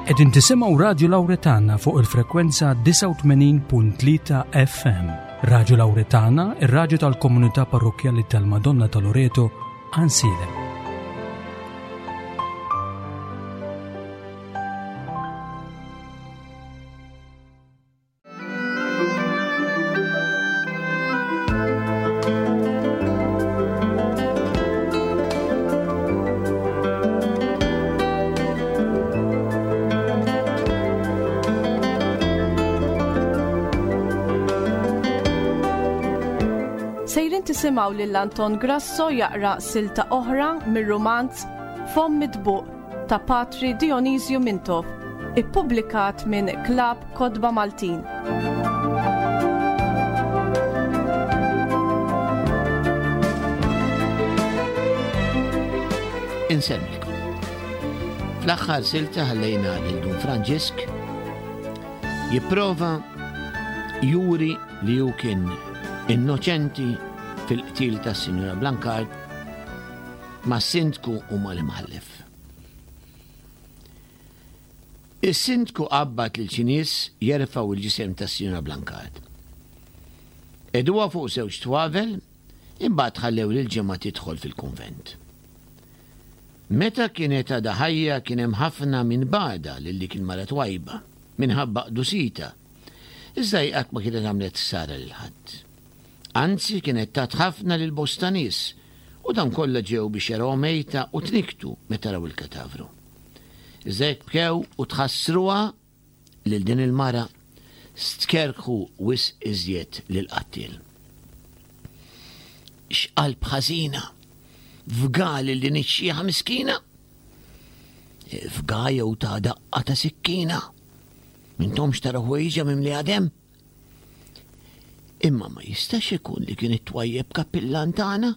Qegħdin tisimgħu Radju Lawretana fuq il-frekwenza 89.3 FM. Radju Lawretana, ir-radju tal-komunità parrokkjali tal-Madonna ta' Loreto, Ansiedem. Sejrin tisimgħu lil Anton Grasso jaqra silta oħra mir-rumanz Fomm Mitbuq ta' Patri Dionisju Mintoff, ippubblikat minn Klabb Kotba Maltin. Insemmilkom. Fl-aħħar silta ħallejna lil Dun Franġisk jipprova juri li hu kien innoċenti fil-qtil tas-Sinjura Blancard mas-sindku u mal-imħallef. Is-sindku qabbad lil xi nies jerfgħu l-ġisem tas-Sinjura Blancard. Qegħduha fuq żewġ twavel, imbagħad ħallew lill-ġemgħa tidħol fil-kunvent. Meta kienet għadha ħajja kien hemm ħafna min bagħadha lil dik il-mara twajba, minħabba qdusitha, iżda hi qatt ma kienet għamlet ħsara lil ħadd. Anzi kienet tat ħafna lil bosta nies u dawn kollha ġew biex jarawha mejta u tnikktu meta raw il-katavru. Iżda jekk bkew u tħassruha lil din il-mara, stkerrħu wisq iżjed lill-qattiel. X'qalb ħażina! Fga lil din ix-xieħa miskina! Fga jew ta daqqa ta' sikkina! M'intomx taraw ħwejjiġha mimlija demm? Imma ma jistax ikun li kien it-twajjeb kappillan tagħna?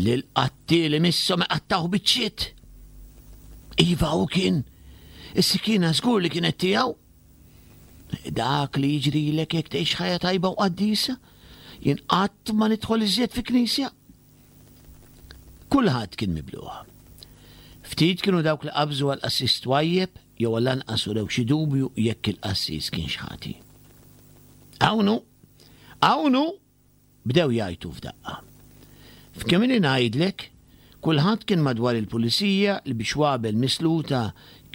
Li l-qattiel imisshom iqattgħuh biċċiet. Iva hu kien. Is-sikkina żgur li kienet tiegħu. Dak li jiġrilek jekk tgħix ħajja tajba u qaddisa, jien qatt ma nidħol iżjed fi knisja. Kulħadd kien mibluh. Ftit kienu dawk li qabżu għal qassis twajjeb jew għall-anqas urew xi dubju jekk il-qassis kienx ħati. Hawn hu! Hawn hu! Bdew jgħajtu f'daqqa. F'kemm ili ngħidlek, kulħadd kien madwar il-pulizija li bi xwabel misluta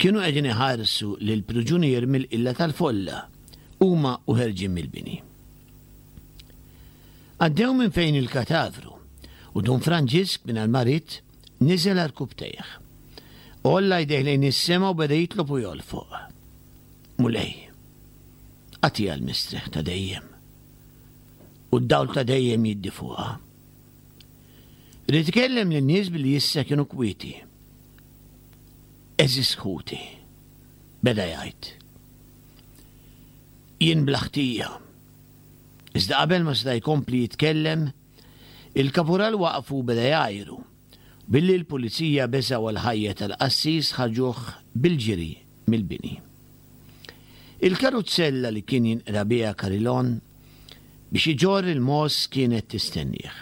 kienu qegħdin iħarsu lill-priġunier mill-qilla tal-folla, huma u ħerġin mill-bini. Għaddew minn fejn il-katavru u Dun Franġisk mingħajr ma ried niżel għarkupptejh. Għolla jdejh lejn is-sema u beda jitlob u jolfoq. Mulej, agħtiha l-mistrieħ ta' dejjem u d-dawl ta' dejjem jiddi fuqha. Ried ikellem lin-nies billi issa kienu kwieti. Għeżież ħuti, beda jgħid. Jien bla ħtija. Iżda qabel ma seta' jkompli jitkellem, il-kapural waqfu u beda jgħajru. Billi l-pulizija beżgħu għall-ħajja tal-qassis ħarġuh bil-ġiri mill-bini. Il-karuzzella li kien jinqra biha Carilon biex iġorr il-mogħoż kienet tistennieh.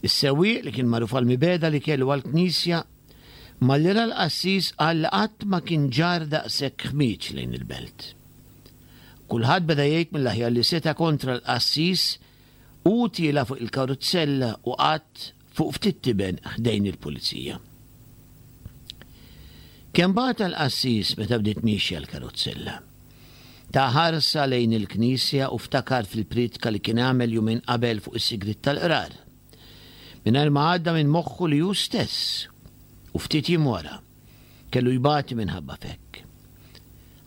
Is-sewwieq li kien magħruf għall-mibegħda li kellu għall-knisja, malli ra l-qassis qal li qatt ma kien ġarr daqshekk ħmieġ lejn il-belt. Kulħadd beda jgħid mill-aħjar li seta' kontra l-qassis, hu tiela' fuq il-karuzzella u qagħad fuq ftit tiben ħdejn il-pulizija. Kemm bata l-qassis meta bdiet miexja l-karuzzella. Ta ħarsa lejn il-knisja u ftakar fil-prietka li kien għamel jumejn qabel fuq is-sigriet tal-qrar. Mingħajr ma għadda minn moħħu li hu stess, u ftit jiem wara, Kellu jbati minħabba f'hekk.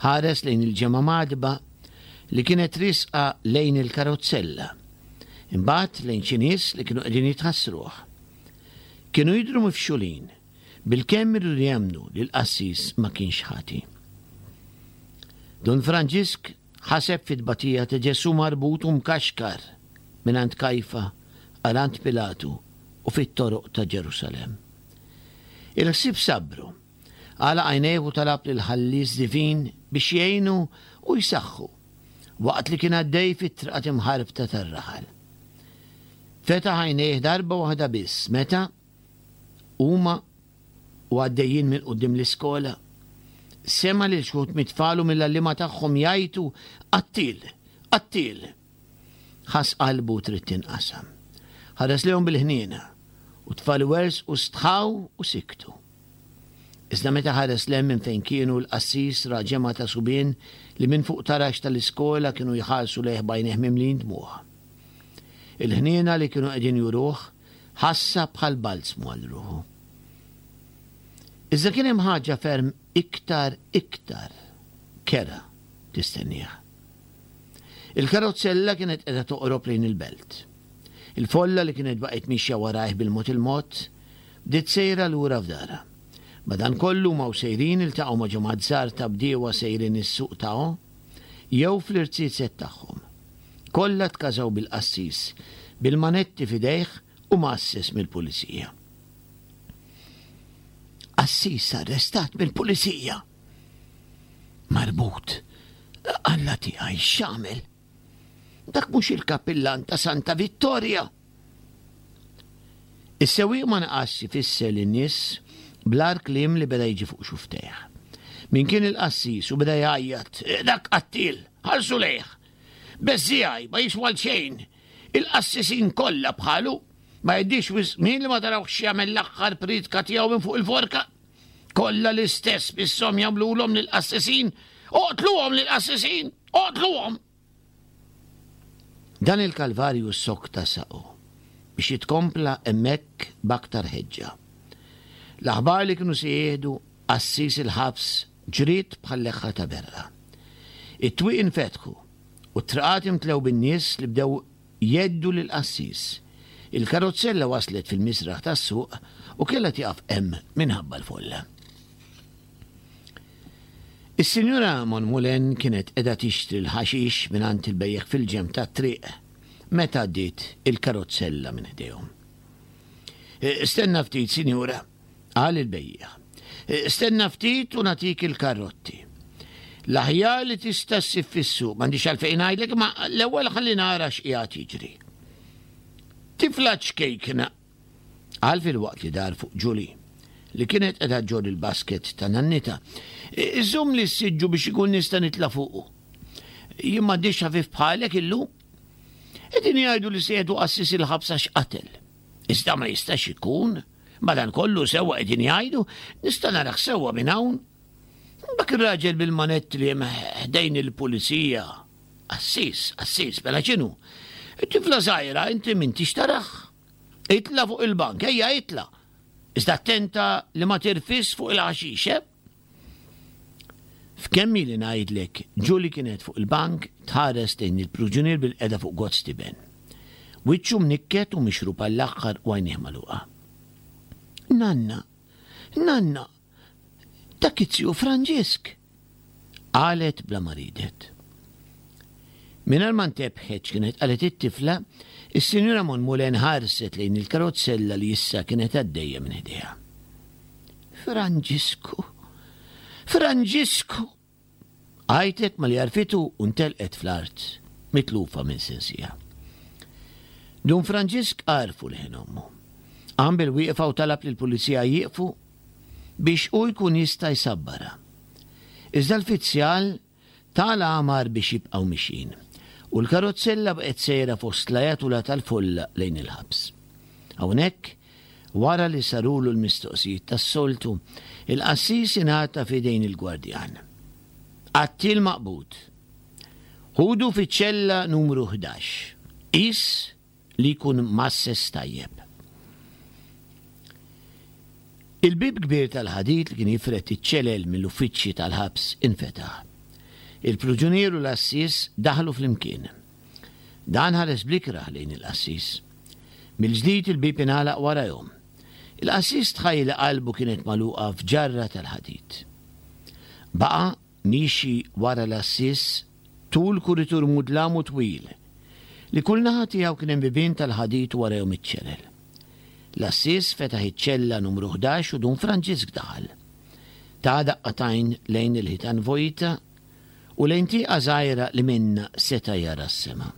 Ħares lejn il-ġemgħa mgħaddba li kienet riesqa lejn il-karozzella. Imbagħad lejn xi nies li kienu qegħdin jitħassruh. Kienu jidhru mifxulin, bilkemm iridu jemmnu li l-qassis ma kienx ħati. Dun Franġisk ħaseb fit-tbatija ta' Ġesù marbut u mkaxkar mingħand Kajfa għal għand Pilatu u fit-toroq ta' Ġerusalemm. Il-ħsieb sabbru. Għalaq għajnejh u talab lill-Ħallies Divin biex jgħinu u jsaħħu waqt li kien għaddej fit-triqat imħarbta tar-raħal. Fetaħ għajnejh darba waħda biss meta, huma u għaddejjin minn quddiem l-iskola, Sema' lil xi wħud mit-tfal u mill-għalliema tagħhom jgħajtu, Qattiel! Qattiel! Ħass qalbu trid tinqasam. Ħares lejhom bil-ħniena, u t-tfal iwerżqu stħaw u siktu. Iżda meta ħares 'l hemm minn fejn kienu, l-qassis ra ġemgħa ta' subien li minn fuq taraġ tal-iskola kienu jħarsu lejh b'għajnejh mimlijin dmugħ. Il-ħniena li kienu qegħdin juruh ħassha bħal balzmu għal ruħu. Iżda kien hemm ħaġa ferm iktar iktar kerha tistennieh. Il-karozzella kienet qiegħda toqrob lejn il-belt. Il-folla li kienet baqgħet mixja warajh bil-mod il-mod, bdiet sejra lura f'darha. Madankollu huma u sejrin iltaqgħu ma' ġemgħat żgħar ta' bdiewa sejrin is-suq ta' jew fl-irziezet tagħhom. Kollha tkażaw bil-qassis, bil-manetti f'idejh u mgħasses mill-pulizija. Qassis arrestat mill-pulizija! Marbut. Alla tiegħi x'għamel? Dak mhux il-kappillan ta' Santa Vittoria! Is-sewwieq ma naqasx ifisser lin-nies bl-agħar kliem li beda jiġi fuq xufftejh. Min kien il-qassis u beda jgħajjat, Dak qattiel! Ħarsu lejh! Beżżiegħi, ma jiswa għal xejn! Il-qassisin kollha bħalu! Ma jgħaddix wisq żmien li ma tarawhx jagħmel l-aħħar priedka tiegħu minn fuq il-forka! Kollha l-istess misshom jagħmlulhom lill-qassisin! Oqtluhom lill-qassisin! Oqtluhom! Dan il-kalvarju ssokta saqu biex jitkompla hemmhekk b'aktar ħeġġa. L-aħbar li kienu se jieħdu qassis il-ħabs ġriet bħal leħħa ta' berqa. It-twieqi nfetħu u t-triqat imtlew bin-nies li bdew Jgħeddu lill-qassis. Il-karozzella waslet fil-misraħ tas-suq u kellha tieqaf hemm minħabba l-folla. Is-Sinjura Monmoulin kienet qiegħda tixtri l-ħaxix mingħand il-bejjiegħ fil-ġenb tat-triq meta għaddiet il-karozzella minn ħdejhom. Stenna ftit, Sinjura, qal il-bejjiegħ. Stenna ftit u nagħtik il-karrotti. L-aħjar li tista' ssib fis-suq, m'għandix għalfejn ngħidlek, imma l-ewwel ħalli nara x'qiegħed jiġri. Tifla ċkejkna, qal filwaqt li dar fuq Julie, li kienet qiegħda ġġorr il-basket ta' nannitha. Iżommli s-siġġu biex ikun nista' nitla' fuqu. Jien m'għandix ħafif bħalek illum. Qegħdin jgħidu li se jieħdu qassis il-ħabs għax qatel. Iżda ma jistax ikun. Madankollu sewwa qegħdin jgħidu, nista' narah sewwa minn hawn. Dak ir-raġel bil-manetti li hemm ħdejn il-pulizija. Qassis, qassis, mela x'inhu? Tifla żgħira inti m'intix tarah. Itla' fuq il-bank, ejja itla'. Iżda attenta li ma tirfisx fuq il-ħaxix, eh? F'kemm ili ngħidlek, Julie kienet fuq il-bank tħares lejn il-pruġunier bilqiegħda fuq gozz tiben. Wiċċu mnikket u mixrub għall-aħħar u għajnejh magħluqa. Nanna! Nanna! Dak iz-ziju Franġisk! Qalet bla ma riedet. Mingħajr ma ntebħet x'kienet qalet it-tifla, is-Sinjura Monmoulin ħarset lejn il-karozzella li issa kienet għaddejja minn ħdejha. Franġisku! Franġisku! Għajtet malli għarfitu u ntelqet fl-art, mitlufa minn sensiha. Dun Franġisk għarfu leħen ommu. Qam bil-wieqfa u talab lill-pulizija jieqfu biex hu jkun jista' jsabbarha. Iżda l-fizzjal Ta l-għamar biex jibqgħu mixjin, u l-karozzella baqgħet sejra fost l-ajatula tal-folla lejn il-ħabs. Hawnhekk, wara li sarulu l-mistoqsijiet tas-soltu, il-qassis ingħata f'idejn il-gwardjan. Qattiel maqbud. Ħudu fiċ-ċella numru 11. Qis li jkun mgħasses tajjeb. Il-bieb kbir tal-ħadid li kien jifred iċ-ċelel mill-uffiċċji tal-ħabs infetaħ. Il-pruġunier u l-għassies daħlu flimkien. Dan ħares bl-ikrah lejn il-qassis. Mill-ġdid il-bieb ingħalaq warajhom. Il-qassis tħajjel li qalbu kienet magħluqa f'ġarra tal-ħadid. Baqa' Miexi wara l-għassies tul kuritur mudlam u twil, li kull naħa tiegħu kien hemm bibien tal-ħadid u warajhom iċ-ċelel. L-għassies fetaħ iċ-ċella numru 11 u Dun Franġisk daħal. Ta daqqa t'għajn lejn il-ħitan vojta u lejn tieqa żgħira li minnha seta' jara s-sema.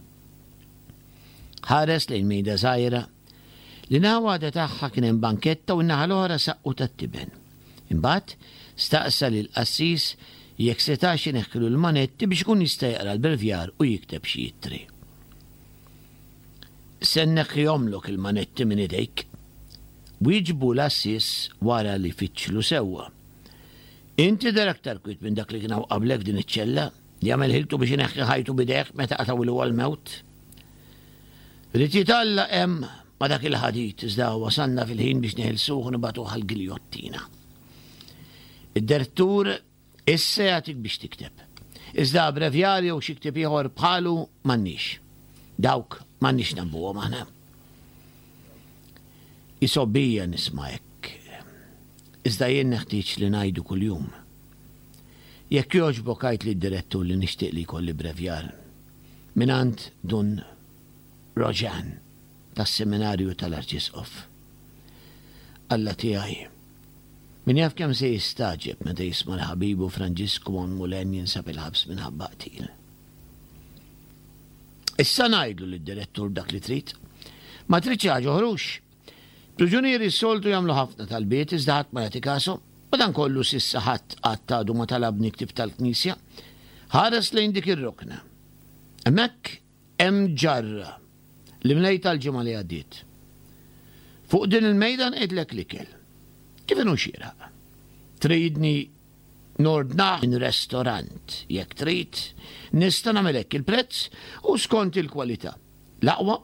Ħares lejn mejda żgħira li naħa waħda tagħha kien hemm banketta u n-naħa l-oħra saqqu tat-tiben. Imbagħad, Staqsa lill-qassis jekk setax ineħħilu l-manetti biex ikun jista' jaqra l-brevjar u jikteb xi ittri. Se nneħħihomlok il-manetti minn idejk, wieġbu l-għassies wara li fittxlu sewwa. Int tidher aktar kwiet minn dak li kien hawn qablek f'din iċ-ċella, li għamel ħiltu biex ineħħi ħajtu b'idejh meta qatgħulu għall-mewt. Ried jitgħallaq hemm ma' dak il-ħadid, iżda wasalna fil-ħin biex neħilsuh u nibagħtuh għall-giljottina. Id-direttur issa jagħtik biex tikteb. Iżda brevjar jew xi ktieb ieħor bħalu m'għandniex. Dawk m'għandniex nabbuhom aħna. Isobbija nisma' hekk. Iżda jien neħtieġ li ngħidu kuljum. Jekk jogħġbok għid lid-direttur li nixtieq li jkolli brevjar mingħand Dun Roġan tas-Seminarju tal-Arċisqof. Alla tiegħi, min jaf kemm se jistagħġeb meta jisma' li ħabibu Franġisku Monmoulin jinsab il-ħabs minħabba qtil. Issa ngħidlu lid-direttur dak li trid. Ma tridx xi ħaġa oħra hux? Priġunieri s-soltu jagħmlu ħafna talbiet iżda ħadd ma jagħti kashom. Madankollu s'issa ħadd qatt għadu ma talabni ktieb tal-Knisja. Ħares lejn dik ir-rokna. Hemmhekk Hemm ġarra li mlejtha l-ġimgħa li għaddiet. Fuq din il-mejda nqegħidlek l-ikel. Kif inhu xieraq. Tridni nordnah minn restorant, jekk trid, nista' nagħmel hekk il-prezz hu skont il-kwalità. L-aqwa,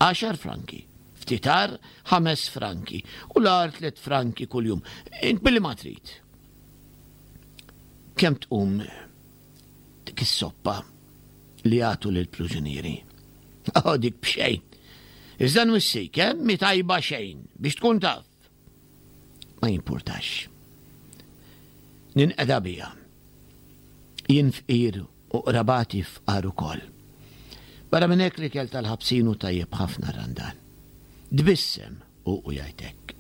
għaxar franki, ftit agħar, ħames franki u l-agħar tliet franki kuljum. Int billi ma trid. Kemm tqum dik is-soppa li jagħtu lill-pruġunieri. Oh, dik b'xejn. Iżda nwissik, eh, mi tajba xejn, biex tkun taf. Ma jimpurtax. Ninqeda bija. Jien fqir u qrabati fqar ukoll. Barra minn hekk l-ikel tal-ħabsin hu tajjeb ħafna randan. Tbissem hu u jgħid hekk.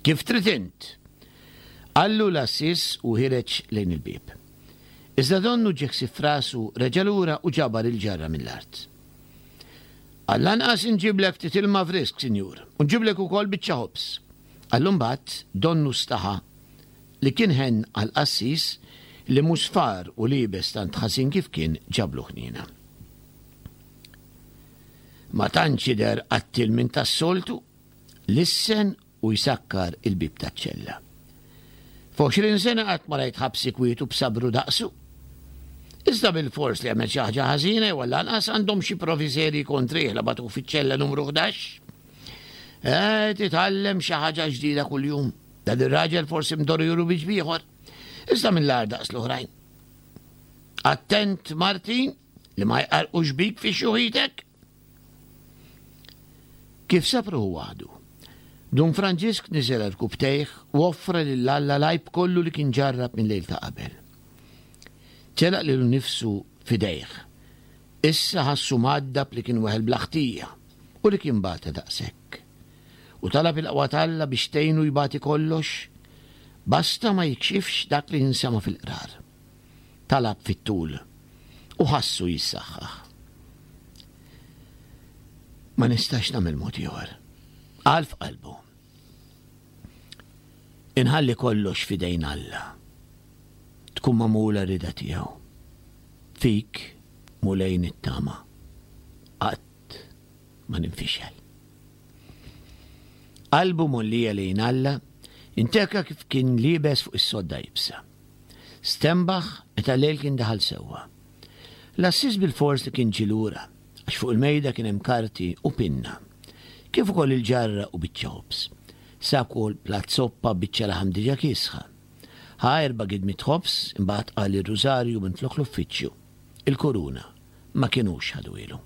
Kif trid int! Qallu l-għassies u ħireġ lejn il-bieb. Iżda donnu ġie ħsieb f'rasu, reġa' lura u ġabar il-ġarra mill-art. Għall-anqas inġiblek ftit ilma frisk, sinjur, u nġiblek ukoll biċċa ħobż. Qallu mbagħad, donnu staħa li kien ħenn għall-qassis li musfar u liebes tant ħażin kif kien ġablu ħniena. Ma tantx jidher qattiel minn tas-soltu, lissen u jsakkar il-bieb taċ-ċella. F'għoxrin sena qatt ma rajt ħabsi kwiet u b'sabru daqsu. Iżda bilfors li għamel xi ħaġa ħażina jew għall-anqas għandhom xi provi serji kontrih la bagħtuh fiċ-ċella numru 11. Eh, titgħallem xi ħaġa ġdida kuljum. Dan ir-raġel forsi mdorri juru biċ bieħor. Iżda mill-agħar daqs l-oħrajn. Attent, Martin, li ma jqarqux bik fi xjuħitek. Kif sab ruħu waħdu, Dun Franġisk niżel għal rkubbtejh u offra lil Alla l-għajb kollu li kien ġarrab mil-lejl ta' qabel. Telaq lilu nnifsu f'idejh. Issa ħassu mgħaddab li kien weħel bla ħtija u li kien bata daqshekk. U talab il-qwa t'Alla biex tgħinu jbati kollox, basta ma jikxifx dak li jinsema' fil-qrar. Talab fit-tul u ħassu jissaħħaħ. Ma nistax nagħmel mod ieħor. Qal f'qalbu. Inħalli kollox f'idejn Alla. Tkun magħmula rida tiegħu. Fik, Mulej nittama. Qatt ma ninfixel. Qalbu mgħollija lejn Alla, inteka kif kien liebes fuq is-sodda iebsa. Stenbaħ meta l-lejl kien daħal sewwa. L-għassies bilfors li kien ġie lura, għax fuq il-mejda kien hemm karti u pinna, kif ukoll il-ġarra u biċċa ħobż. Sab ukoll platt soppa b'biċċa laħam diġà kiesħa. Ħa erba' gidmiet ħobż, imbagħad qal ir-rużarju minflok l-uffiċċju. Il-kuruna ma kinux ħaduhielu.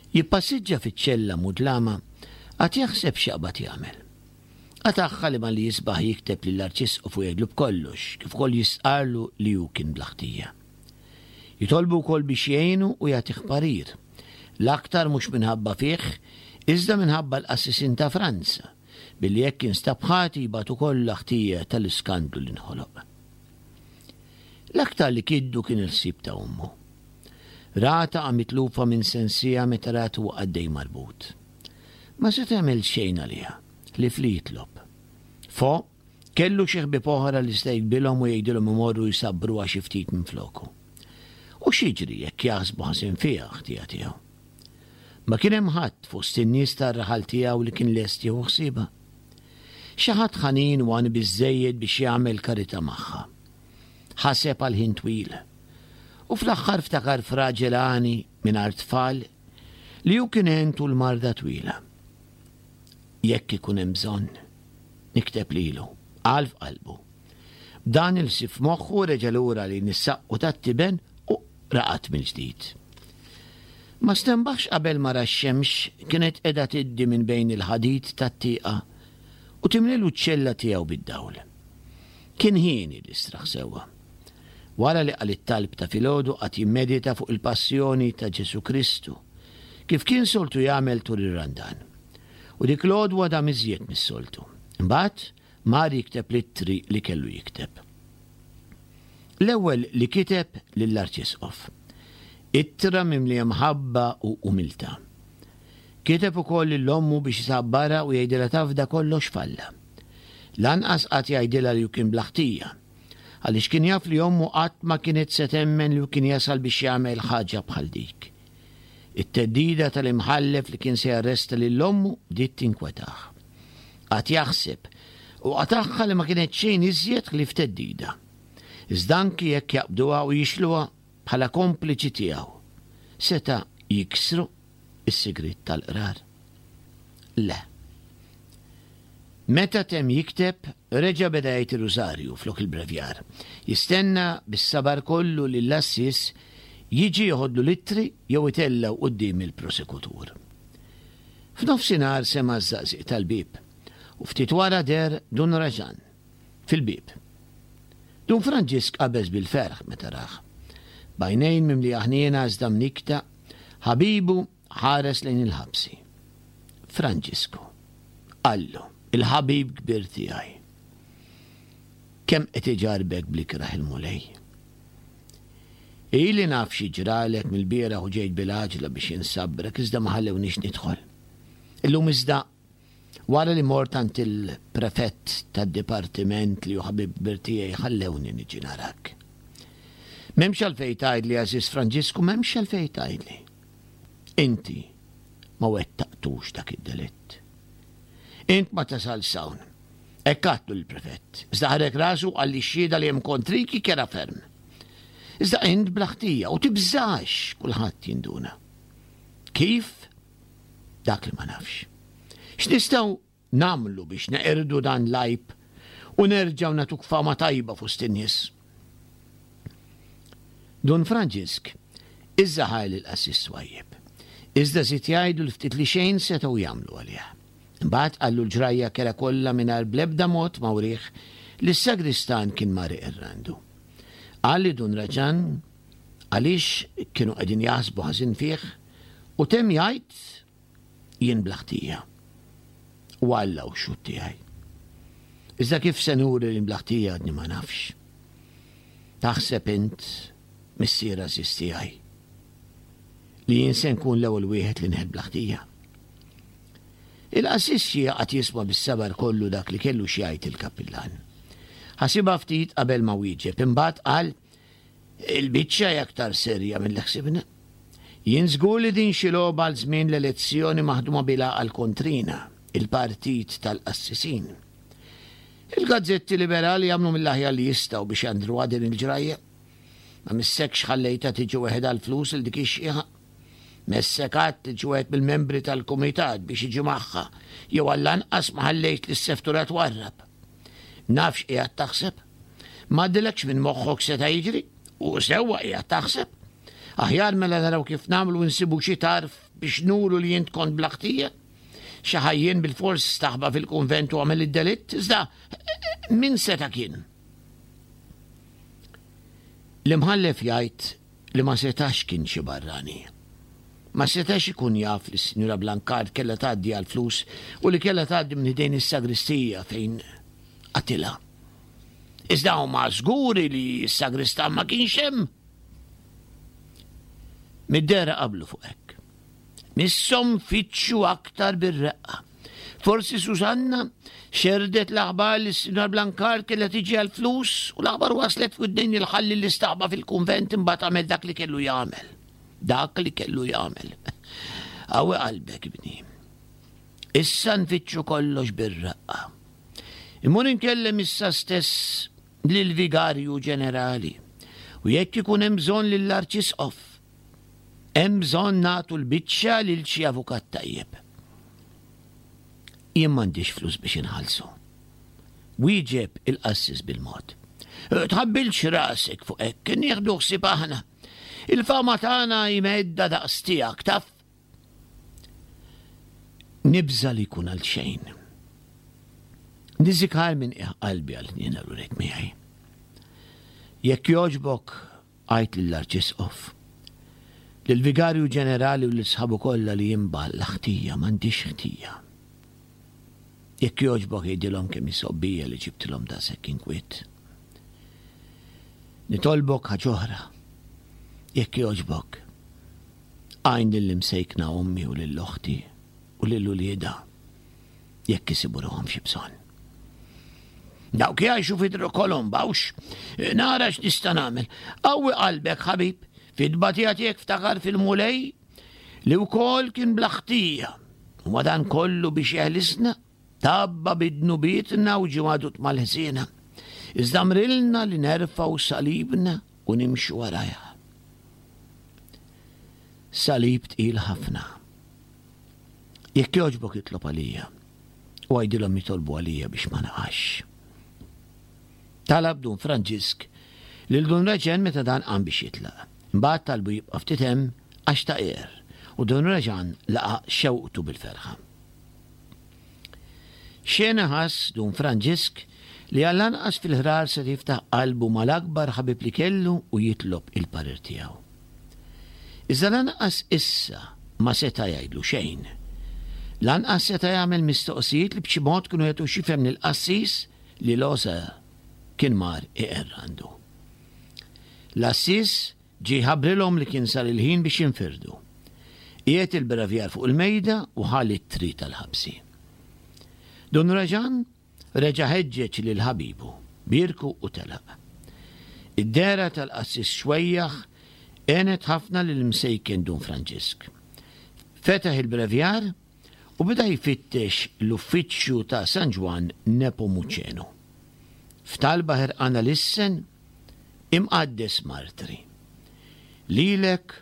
Jippassiġġa fiċ-ċella mudlama, qagħad jaħseb x'jaqbad jagħmel. Qatagħha li malli jisbaħ jikteb lill-Arċisqof u jgħidlu b'kollox, kif ukoll jistqarrlu li hu kien bla ħtija. Jitolbu wkoll biex jgħinu u jagħtih parir, l-aktar mhux minħabba fih, iżda minħabba l-qassisin ta' Franza, billi jekk jinstab ħati jbatu kollha ħtija tal-iskandlu li nħoloq. L-aktar li kiddu kien il-ħsieb ta' ommu. Ra taqa' mitlufa minn sensiha meta ratu għaddej marbut. Ma seta' jagħmel xejn għaliha, ħlief li jitlob. Fo, Kellu xi ħbieb oħra li seta' jikbilhom u jgħidilhom imorru jsabbruha xi ftit minfloku. U x'jiġri jekk jaħsbu ħażin fiha ħtija tiegħu? Ma kien hemm ħadd fost in-nies tar-raħal tiegħu li kien lest jieħu ħsiebha. Xi ħadd ħanin u għani biżżejjed biex jagħmel karità magħha. Ħaseb għal ħin twil. U fl-aħħar ftakar f'raġel għani mingħajr tfal li hu kien għen tul marda twila. Jekk ikun hemm bżonn, nikteb lilu, qal f'qalbu. B'dan il-ħsieb f'moħħu reġa' lura lejn is-saqqu tat-tiben u raqad mill-ġdid. Ma stenbaħx qabel ma ra x-xemx kienet qiegħda tiddi minn bejn il-ħadid tat-tieqa u timlilu ċ-ċella tiegħu bid-dawl. Kien ħieni li straħ sewwa. Wara li qal it-talb ta' filgħodu qagħad jimmedita fuq il-passjoni ta' Ġesù Kristu, kif kien soltu jagħmel tul ir-Randan. U dik l-għodwa dam iżjed mis-soltu. Imbagħad mar jikteb l-ittri li kellu jikteb. L-ewwel li kiteb lill-Arċisqof. Ittra mimlija mħabba u umiltà. Kiteb ukoll lil ommu biex isabbarha u jgħidilha tafda kollox f'Alla. Lanqas qagħad jgħidilha li hu kien bla ħtija, għaliex kien jaf li ommu qatt ma kienet se temmen li hu kien jasal biex jagħmel ħaġa bħal dik. It-theddida tal-imħallef li kien se jarresta lil ommu bdiet tinkwetah. Qagħad jaħseb u qatagħha li ma kienet xejn iżjed ħlief theddida. Iżda anki jekk jaqbduha u jixluha bħala kompliċi tiegħu, seta' jiksru s-sigriet tal-qrar? Le. Meta temm jikteb, reġa' beda jgħid ir-Rużarju flok il-Brevjar. Jistenna bis-sabar kollu li l-għassies jiġi joħodlu l-ittri jew itellgħu quddiem il-prosekutur. F'nofsinhar sema' ż-żaqżiq tal-bieb u ftit wara deher Dun Raġan fil-bieb. Dun Franġisk qabeż bil-ferħ meta rah. B'għajnejn mimlija ħniena iżda mnikkta, ħabibu ħares lejn il-ħabsi. Franġisku, qallu, il-ħabib kbir tiegħi, kemm qed iġarrbek bl-ikrah il-Mulej. Ili naf xi ġralek mill-bieraħ u ġejt bil-għaġla biex insabbrek iżda ma ħallewnix nidħol. Illum iżda wara li mort għand il-prefett tad-dipartiment li hu ħabib kbir tiegħi ħallewni niġi narak. M'hemmx għalfejn tgħidli għażiż Franġisku, m'hemmx għalfejn tgħidli. Inti ma wettaqtux dak id-delitt. Int ma tasalx hawn. Hekk għadtlu lill-prefett. Iżda ħarrek rasu u qal li x-xhieda li hemm kontrik hi kerha ferm. Iżda int bla ħtija u tibżax kulħadd jinduna. Kif? Dak li ma nafx. X'nistgħu nagħmlu biex neqirdu dan l-għajb u nerġgħu nagħtuk fama tajba fost in-nies? Dun Franġisk iżża ħajr lill-qassis twajjeb. Iżda żied jgħidlu li ftit li xejn setgħu jagħmlu għalih. Imbagħad qallu l-ġrajja kerha kollha mingħajr bl-ebda mod ma wrieh li s-sagristan kien mar iqerr għandu. Qal li Dun Raġan għaliex kienu qegħdin jaħsbu ħażin fih u temm jgħid jien bla ħtija. U Alla hu x-xhud tiegħi. Iżda kif se nuri li bla ħtija għadni ma nafx. Taħseb int, missier għażiż tiegħi, li jien se nkun l-ewwel wieħed li nħel bla ħtija? Il-qassis qagħad jisma' bis-sabar kollu dak li kellu xi jgħid il-kappillan. Ħasibha ftit qabel ma wieġeb, imbagħad qal, Il-biċċa hi aktar serja milli ħsibna. Jien żgur li din xi logħba għal żmien l-elezzjoni maħduma bil-għaqal kontrina, il-partit tal-qassisin. Il-gazzetti liberali jagħmlu mill-aħjar li jistgħu biex jandruha din il-ġrajja. Ma missekx ħallejtha tiġi weħidha l-flus 'il dik ix-xiħa. Messek għadt lil xi wieħed mill-membri tal-kumitat biex jiġi magħha, jew għall-anqas ma ħallejt lis-seftura twarrab. Naf x'qiegħed taħseb. M'għaddilekx minn moħħok seta' jiġri, u sewwa qiegħed taħseb. Aħjar mela naraw kif nagħmlu nsibu xi tarf biex nuru li int kont bla ħtija. Xi ħajjien bilfors staħba fil-kunvent u għamel id-delitt, iżda min seta' kien? L-imħallef jgħid li ma setax kien xi barrani. Ma setax ikun jaf li s-Sinjura Blancard kellha tgħaddi għall-flus u li kellha tgħaddi minn ħdejn is-sagristija fejn qatilha. Iżda huma żguri li s-sagristan ma kienx hemm. Mid-dehra qablu fuq hekk. Misshom fittxu aktar bir-reqqa. Forsi Susanna xerdet l-aħbar li s-Sinjor Blancard kellha tiġi għall-flus u l-aħbar waslet f'widnejn il-ħalli li staħba fil-kunvent imbagħad għamel dak li kellu jagħmel. Dak li kellu jagħmel. Qawwi qalbek, ibni. Issa nfittxu kollox bir-raqqa. Immur inkellem issa stess lill-Vigarju Ġenerali u jekk ikun hemm bżonn lill-Arċisqof. Hemm bżonn nagħtu l-biċċa lil xi avukat tajjeb. Jien m'għandix flus biex inħallsu. Wieġeb il-qassis bil-mod. Tħabbilx rasek fuq hekk, nieħdu ħsieb aħna. Il-fama tagħna hi medda daqs tiegħek, taf. Nibża' li jkun għal xejn. Niżikar minn qiegħ qalbi għal ħniena l miegħi. Jekk jogħġbok, għid lill-Arċisqof, lill-Vigarju Ġenerali u lil sħabu kollha li jien bla ħtija, m'għandix ħtija. Jekk jogħġbok għidilhom kemm hi sobbija li ġibtilhom daqshekk inkwiet. Nitolbok ħaġa oħra. Jekk jogħġbok, għin lill-imsejkna ommi u lil oħti u lil uliedha jekk isibu ruħhom xi bżonn. Dawk jgħixu fi Kolomba, hux? Nara x'nista' nagħmel. Qawwi qalbek, ħabib, fid-tbatija tiegħek ftakar fil-Mulej li wkoll kien bla ħtija. U madan kollu biex jeħlisna, tabba bid-dnubietna u ġie magħdud mal-ħżiena. Iżda mrilna li nerfgħu salibna u nimxu warajha. Salib tqil ħafna. Jekk jogħġbok itlob għalija u għidilhom jitolbu għalija biex ma naqax. Talab Dun Franġisk lil Dun Reġen meta dan qam biex jitlaq. Imbagħad talbu jibqa' ftit hemm għax ta' qiegħer u Dun Reġan laqa' xewqtu bil-ferħa. Xena ħass Dun Franġisk li għall-anqas fil-ħrar seta' jiftaħ qalbu mal-akbar ħabib li kellu u jitlob il-parir tiegħu. Iżda lanqas issa ma seta' jgħidlu xejn. Lanqas seta' jagħmel mistoqsijiet li b'xi mod kienu jagħtuh x'jifhem lill-qassis li Loser kien mar iqerr għandu. L-għassies ġie jħabbrilhom li kien sar il-ħin biex jinfirdu. Qiegħed il-bravjar fuq il-mejda u ħa l-ittri tal-ħabsi. Dun Raġan Reġa' ħeġġeġ lil ħabibu, bierku u telaq. Id-dehra tal-qassis xwejjaħ għenet ħafna lill-imsejken Dun Franġisk. Fetaħ il-brevjar u beda jfittex l-uffiċċju ta' San Ġwann Nepomuċenu. F'talba ħerqana lissen, Imqaddes Martri, lilek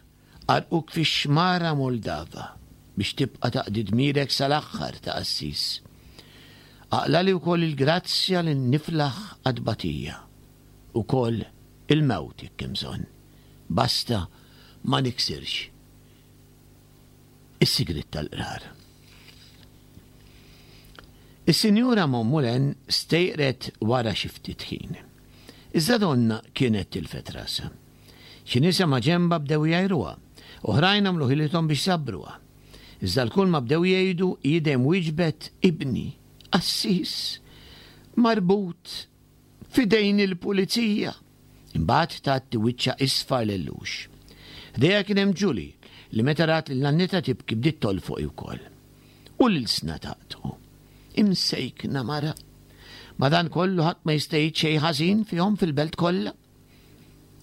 Għarrquk fix-xmara Moldava biex tibqa' taqdi dmirek sal-aħħar ta' qassis. Aqlali wkoll il-grazzja li niflaħ għat-tbatija, ukoll il-mewt jekk hemm bżonn, basta ma niksirx is-sigriet tal-qrar. Is-Sinjura Montmoulin stejqret wara xi ftit ħin. Iżda donnha kienet tilfet rasha. Xi nisa maġenbha bdew jgħajruha, oħrajn għamlu ħilithom biex isabbruha. Iżda lkoll ma bdew jgħidu, hi dejjem wieġbet, Ibni, qassis, marbut f'idejn il-pulizija. Imbagħad tgħatti wiċċha isfar lellux. Ħdejha kien hemm Julie, li meta rat lil nannitha tibki bdiet tolfoq hi wkoll. U l-ilsna taqtgħu. Imsejkna mara. Madankollu ħadd ma jista' jgħid xejn ħażin fihom fil-belt kollha.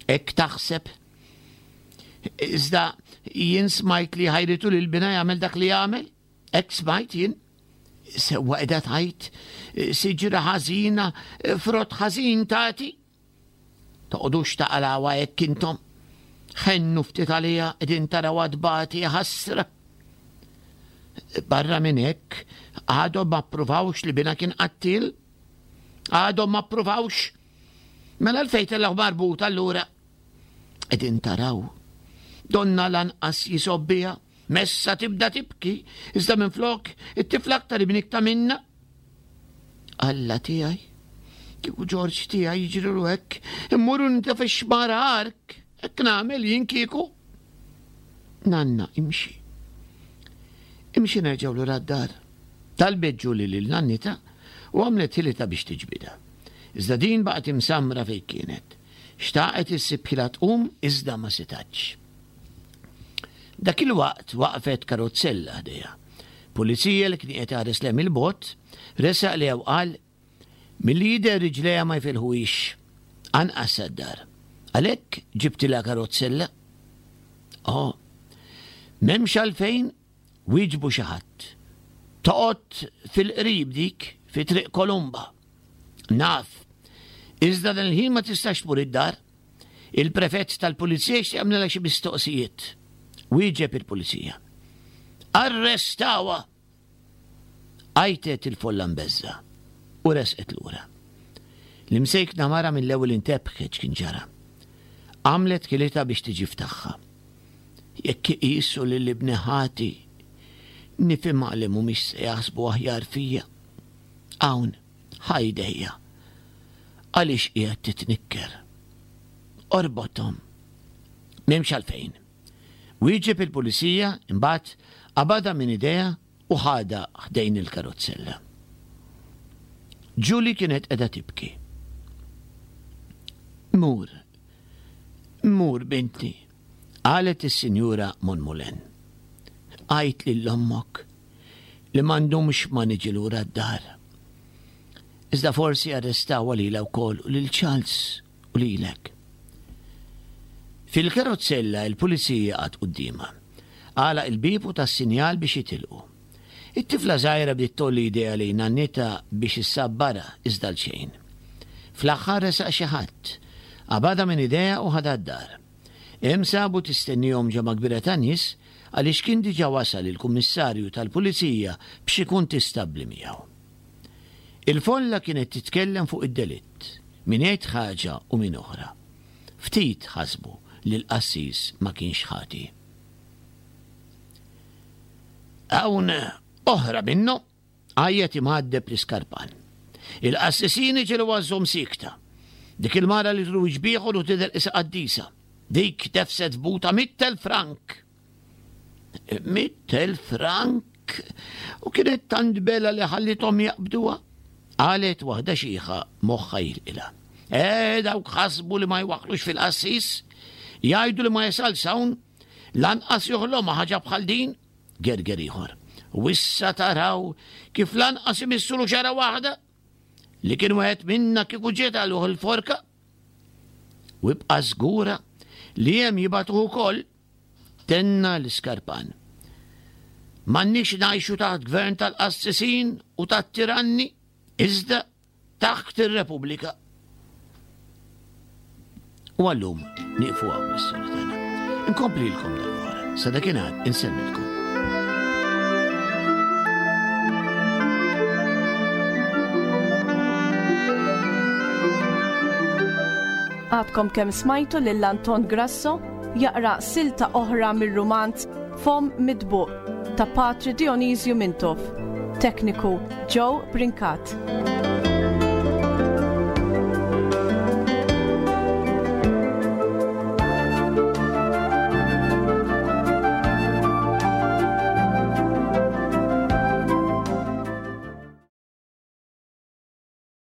Hekk taħseb. Iżda jien smajt li ħajritu lil bina jagħmel dak li jagħmel. Hekk smajt jien. Sewwa qiegħda tgħid siġra ħażina, frott ħażin tagħti. Toqgħodux taqalgħuha hekk intom. Ħennu ftit għaliha qegħdin tarawha tbati ħasra. Barra minn hekk, għadhom ma ppruvawx li bina kien qattil. Għadhom ma ppruvawx. Mela għalfejn tellgħu marbut allura? Qegħdin taraw. Donna lanqas jisobbija, messa tibda tibki, iżda minflok it-tifla aktar imnikta minna. Alla tiegħi, kieku Ġorġ tiegħi jiġrilu hekk, immur u nitfa' x-xmara ark, hekk nagħmel jien kieku. Nanna, imxi. Imxi nerġgħu lura d-dar. Talbet Julie lil nannitha u għamlet ħilitha biex tiġbidha. Iżda din baqgħet imsammra fejn kienet. Xtaqet issib ħila tqum iżda ma setgħetx. Dak il-waqt waqfet karozzella ħdejha. Pulizija li kien qiegħed iħares lejha mill-bogħod, resaq lejha u qal, Milli jidher riġlejha ma jfilħuhiex, anqas sad-dar. Għalhekk ġibtilha karozzella. Oh, m'hemmx għalfejn, wieġbu xi ħadd. Toqgħod fil-qrib dik, fi Triq Kolumba. Naf. Iżda dan il-ħin ma tistax tmur id-dar. Il-prefett tal-pulizija jixtieq jagħmlilha xi mistoqsijiet. Wieġeb il-pulizija. Arrestawha! Għajtet il-folla mbeżża' u resqet lura. L-imsejkna mara mill-ewwel intebħet x'kien ġara. Għamlet ħilitha biex tiġi f'tagħha. Jekk iqisu lil ibni ħati, nifhimha li mhumiex se jaħsbu aħjar fija. Hawn, ħa jdejja. Għaliex qiegħed titnikker? Orbothom. M'hemmx għalfejn. Wieġeb il-pulizija, imbagħad qabadha minn idejha u ħadha ħdejn il-karozzella. Julie kienet qiegħda tibki. Mur, mur binti, qalet is-Sinjura Monmolen. Għid lil ommok li ma ndumx ma niġi lura d-dar. Iżda forsi arrestawha lilha wkoll u lil Charles u lilek. Fil-karozzella il-pulizija qagħad quddiemha. Għalaq il-bieb u ta s-sinjal biex jitilqu. It-tifla żgħira bdiet tgħolli jdejha lejn nannitha biex issabbarha iżda għal xejn. Fl-aħħar resaq xi ħadd. Qabadha minn idejha u ħadha d-dar. Hemm sabu tistennihom ġemgħa kbira ta' nies għaliex kien diġà wasal il-kummissarju tal-pulizija b'xi kuntistabbli miegħu. Il-folla kienet titkellem fuq id-delitt, min jgħid ħaġa u min oħra. Ftit ħasbu li l-qassis ma kienx ħati. Hawn oħra minnu, għajjat imgħaddeb l-iskarpan. Il-qassisin iġelu għażhom siekta. Dik il-mara li truwiġ bieħor u tidher qisha qaddisa. Dik tefset f'buta 100,000 frank. 100,000 frank u kienet tant bela li ħallithom jaqbduha. Qalet waħda xiħa moħħha jilqilha. Eh, dawk ħasbu li ma jwaħħlux fil-qassis, jgħidu li ma jasalx hawn, lanqas joħlomha ħaġa bħal din, gerger ieħor. U issa taraw kif lanqas imissulu xara waħda li kien wieħed minna kieku ġiet għaluh il-forka. U ibqa' żgura li hemm jibgħatuh ukoll Tenna l-Iskarpan. M'għandniex ngħixu taħt gvern tal-qassisin u tat-tiranni, iżda taħt ir-Repubblika. U għallum nieqfu hawn l-istorja tagħna. Inkomplilkom darb'oħra. Sa dakinhar insellmilkom. Għadkom kemm smajtu lil Anton Grasso jaqra silta oħra mir-rumanz Fomm Mitbuq ta' Patri Dionisju Mintoff. Tekniku Joe Brincat.